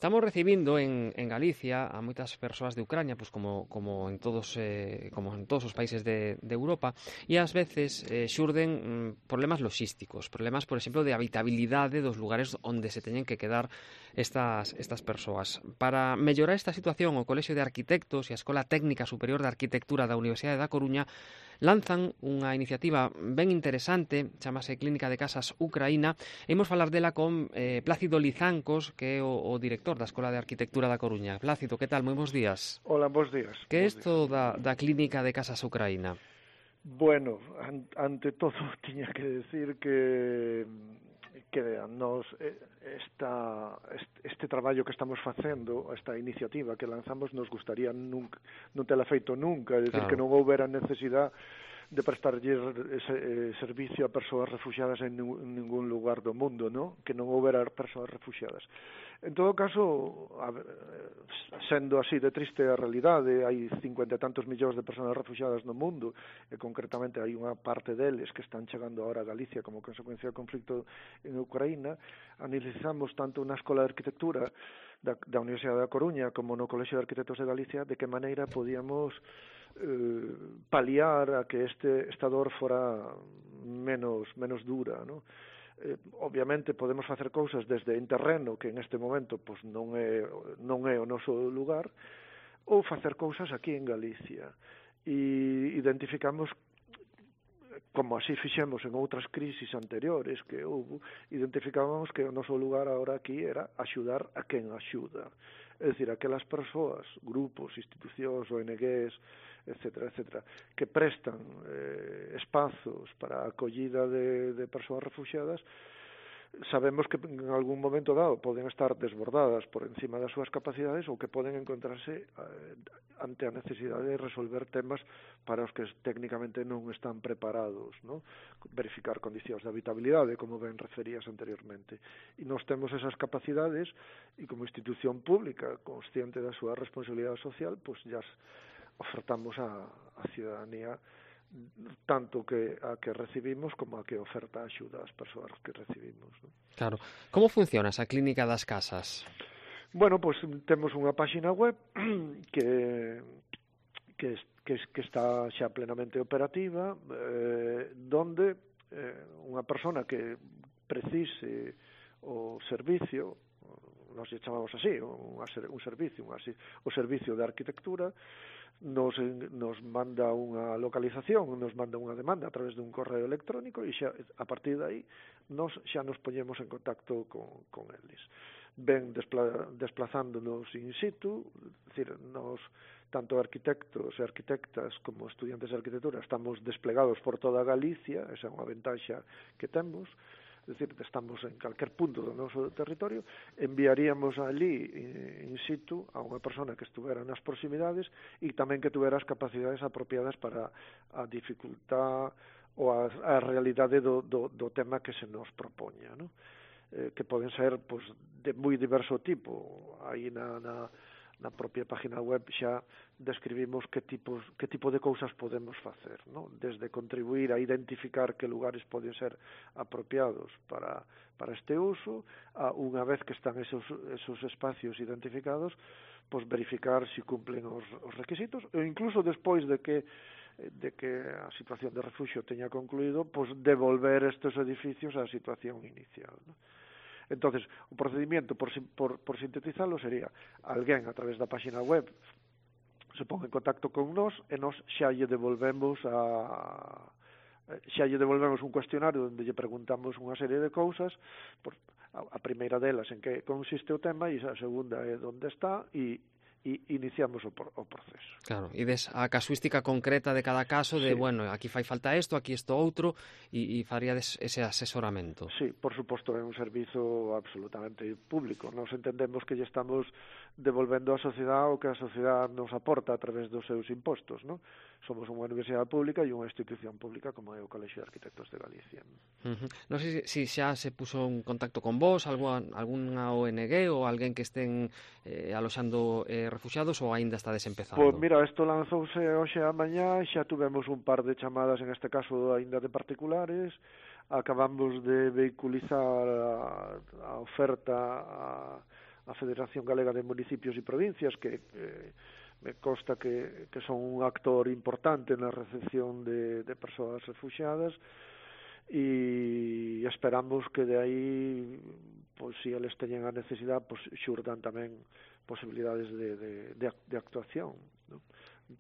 Estamos recibindo en Galicia a moitas persoas de Ucrania, pois como en todos os países de Europa, e ás veces xurden problemas logísticos, problemas, por exemplo, de habitabilidade dos lugares onde se teñen que quedar estas persoas. Para mellorar esta situación, o Colexio de Arquitectos e a Escola Técnica Superior de Arquitectura da Universidade da Coruña lanzan unha iniciativa ben interesante, chamase Clínica de Casas Ucraína, e imos falar dela con Plácido Lizancos, que é o director da Escola de Arquitectura da Coruña. Plácido, que tal? Moi bons días. Hola, bons días. Que é isto da Clínica de Casas Ucraína? Bueno, ante todo tiña que decir que nos este traballo que estamos facendo, esta iniciativa que lanzamos, nos gustaría non tela feito nunca, é dicir, claro, que non houbera necesidade de prestarlle servicio a persoas refugiadas en ningún lugar do mundo, ¿no? Que non houbera persoas refugiadas. En todo caso, sendo así de triste a realidade, hai 50 e tantos millóns de persoas refugiadas no mundo, e concretamente hai unha parte deles que están chegando ahora a Galicia como consecuencia do conflicto en Ucraína. Analizamos tanto na Escola de Arquitectura da Universidade da Coruña como no Colexio de Arquitectos de Galicia de que maneira podíamos paliar a que esta dor fora menos dura, ¿no? Obviamente podemos facer cousas desde en terreno, que en este momento pois non é o noso lugar, ou facer cousas aquí en Galicia. E identificamos, como así fixemos en outras crisis anteriores que houve, identificábamos que o noso lugar agora aquí era axudar a quen axuda. É dicir, aquelas persoas, grupos, institucións, ONGs, etcétera, que prestan espazos para a acollida de persoas refugiadas, sabemos que en algún momento dado poden estar desbordadas por encima das súas capacidades ou que poden encontrarse ante a necesidade de resolver temas para os que técnicamente non están preparados, ¿no? Verificar condicións de habitabilidade, como ben referías anteriormente. E nós temos esas capacidades e como institución pública consciente da súa responsabilidade social, pois ya ofertamos a ciudadanía tanto a que recibimos como a que oferta axuda ás persoas que recibimos, ¿no? Claro. Como funciona esa Clínica das Casas? Bueno, pues temos unha páxina web que está xa plenamente operativa, donde unha persona que precise o servicio, nós lle chamamos así, un servicio, o servicio de arquitectura, nos manda unha localización, nos manda unha demanda a través dun correo electrónico e xa, a partir de aí xa nos poñemos en contacto con eles. Ben desplazándonos in situ, decir, nos tanto arquitectos e arquitectas como estudiantes de arquitectura estamos desplegados por toda Galicia, esa é unha ventaxa que temos. Es decir, estamos en calquer punto do noso territorio, enviaríamos ali in situ a unha persona que estuvera nas proximidades e tamén que tuvera as capacidades apropiadas para a dificultad ou a realidade do tema que se nos propoña, ¿no? Que poden ser pois, de moi diverso tipo. Aí na propia página web xa describimos que tipo de cousas podemos facer, ¿no? Desde contribuir a identificar que lugares poden ser apropiados para este uso, a unha vez que están esos espacios identificados, pues verificar se cumplen os requisitos, ou incluso despois de que a situación de refugio teña concluído, pues devolver estes edificios á situación inicial, ¿no? Entonces, o procedimiento, por sintetizarlo, sería alguén a través da página web se pon en contacto con nós e nós xa lle devolvemos un cuestionario onde lle preguntamos unha serie de cousas, a primeira delas en que consiste o tema e a segunda é onde está e iniciamos o proceso. Claro, e des a casuística concreta de cada caso de, sí, bueno, aquí fai falta isto, aquí isto outro, e faríades ese asesoramento. Sí, por suposto, é un servizo absolutamente público. Nos entendemos que lle estamos devolvendo á sociedade o que a sociedade nos aporta a través dos seus impostos, ¿no? Somos unha universidade pública e unha institución pública como é o Colexio de Arquitectos de Galicia. Non sei se xa se puso en contacto con vos, algunha ONG ou alguén que estén aloxando refugiados ou aínda está desempezando? Pois mira, isto lanzouse hoxe a mañá, xa tuvemos un par de chamadas, en este caso aínda de particulares, acabamos de vehiculizar a oferta a Federación Galega de Municipios e Provincias, que me consta que son un actor importante na recepción de persoas refugiadas, e esperamos que de aí, pois, se eles teñen a necesidade, pois xurdan tamén posibilidades de actuación, ¿no?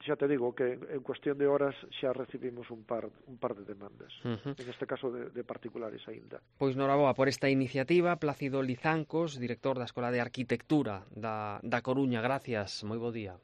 Xa te digo que en cuestión de horas xa recibimos un par de demandas, en este caso de particulares aínda. Pois noraboa por esta iniciativa, Plácido Lizancos, director da Escola de Arquitectura da Coruña. Gracias, moi bo día.